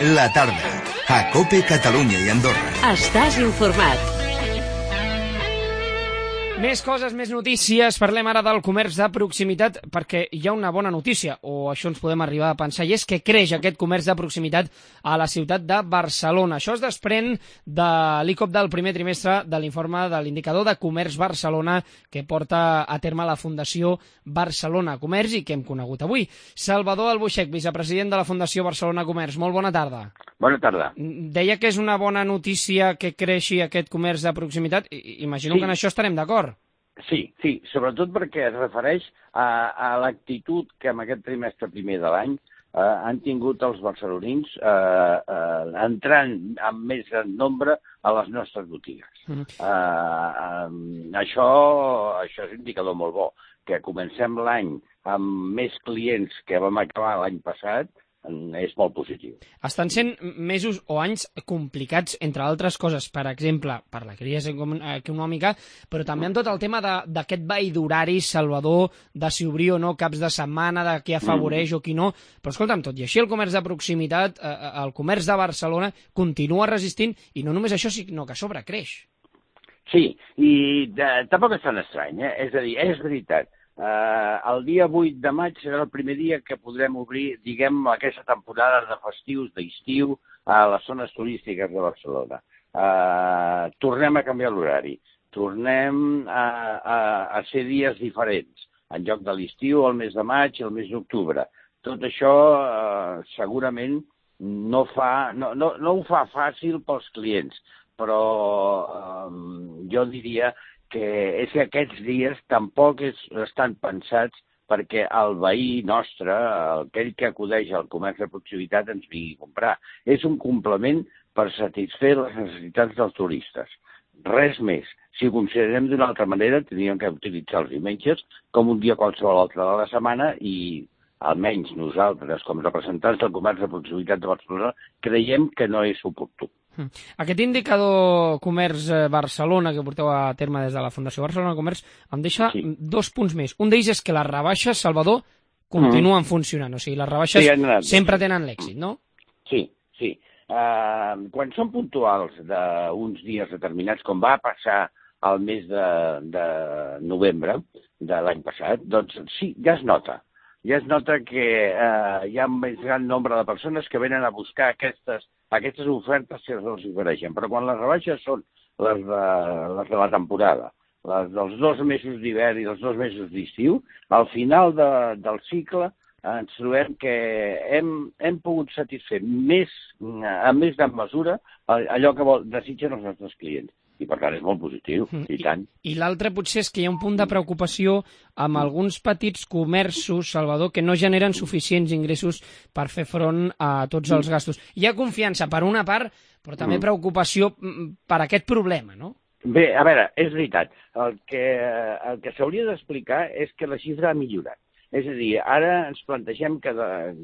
La tarda, a COPE Catalunya i Andorra. Estàs informat. Més coses, més notícies. Parlem ara del comerç de proximitat, perquè hi ha una bona notícia, o això ens podem arribar a pensar, i és que creix aquest comerç de proximitat a la ciutat de Barcelona. Això es desprèn de l'ICOP del primer trimestre de l'informe de l'indicador de comerç Barcelona que porta a terme la Fundació Barcelona Comerç i que hem conegut avui. Salvador Albuixech, vicepresident de la Fundació Barcelona Comerç. Molt bona tarda. Bona tarda. Deia que és una bona notícia que creixi aquest comerç de proximitat. Imagino que en això estarem d'acord. Sí, sobretot perquè es refereix a l'actitud que en aquest trimestre primer de l'any han tingut els barcelonins entrant amb més gran nombre a les nostres botigues. Això és un indicador molt bo, que comencem l'any amb més clients que vam acabar l'any passat, és molt positiu. Estan sent mesos o anys complicats, entre altres coses, per exemple, per la crisi econòmica, però també en tot el tema d'aquest ball d'horaris, Salvador, de si obrir o no caps de setmana, de qui afavoreix o qui no. Però escolta'm, tot i així el comerç de proximitat, el comerç de Barcelona, continua resistint, i no només això, sinó que a sobre creix. Sí, i tampoc és tan estrany, És a dir, és veritat. El dia 8 de maig serà el primer dia que podrem obrir, diguem, aquesta temporada de festius, d'estiu, a les zones turístiques de Barcelona. Tornem a canviar l'horari, tornem a ser dies diferents, en lloc de l'estiu, el mes de maig i el mes d'octubre. Tot això segurament no ho fa fàcil pels clients, però jo diria que és que aquests dies tampoc estan pensats perquè el veí nostre, aquell que acudeix al comerç de proximitat, ens vingui a comprar. És un complement per satisfer les necessitats dels turistes. Res més. Si ho considerem d'una altra manera, tindríem que utilitzar els diumenges com un dia qualsevol altre de la setmana i almenys nosaltres, com representants del comerç de proximitat de Barcelona, creiem que no és oportú. Aquest indicador comerç Barcelona que porteu a terme des de la Fundació Barcelona Comerç em deixa 2 punts més. Un d'ells és que les rebaixes, Salvador, continuen funcionant. O sigui, les rebaixes sempre tenen l'èxit, no? Sí. Quan són puntuals d'uns dies determinats, com va passar al mes de novembre de l'any passat, doncs sí, ja es nota. Ja es nota que hi ha un més gran nombre de persones que venen a buscar aquestes ofertes que els ofereixen. Però quan les rebaixes són les de la temporada, les dels 2 mesos d'hivern i dels 2 mesos d'estiu, al final del cicle ens trobem que hem pogut satisfer amb més gran mesura allò que desitgen els nostres clients. I per tant és molt positiu, i tant. I l'altre potser és que hi ha un punt de preocupació amb alguns petits comerços, Salvador, que no generen suficients ingressos per fer front a tots els gastos. Hi ha confiança per una part, però també preocupació per aquest problema, no? Bé, a veure, és veritat. El que s'hauria d'explicar és que la xifra ha millorat. És a dir, ara ens plantegem que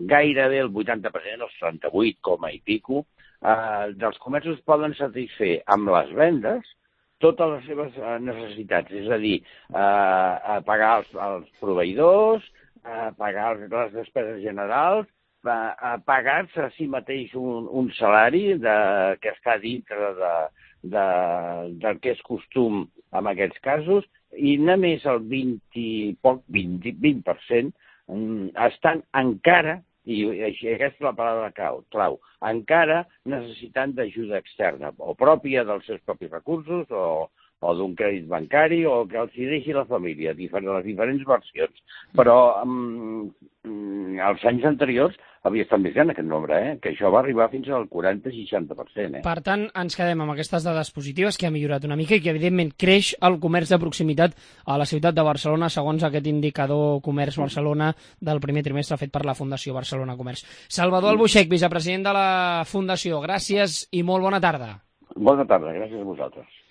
gairebé el 80%, els 38, i pico, dels comerços poden satisfer amb les vendes totes les seves necessitats, és a dir, pagar els proveïdors, pagar les despeses generals, pagar-se a si mateix un salari que està dintre del que és costum en aquests casos, i només el 20% estan encara, i aquesta és la paraula clau, encara necessitant d'ajuda externa, o pròpia dels seus propis recursos, o d'un crèdit bancari, o que els hi deixi la família, les diferents versions. Però els anys anteriors havia estat més gran aquest nombre, que això va arribar fins al 40-60%. Per tant, ens quedem amb aquestes dades positives, que ha millorat una mica i que, evidentment, creix el comerç de proximitat a la ciutat de Barcelona, segons aquest indicador comerç Barcelona del primer trimestre fet per la Fundació Barcelona Comerç. Salvador Albuixech, vicepresident de la Fundació, gràcies i molt bona tarda. Bona tarda, gràcies a vosaltres.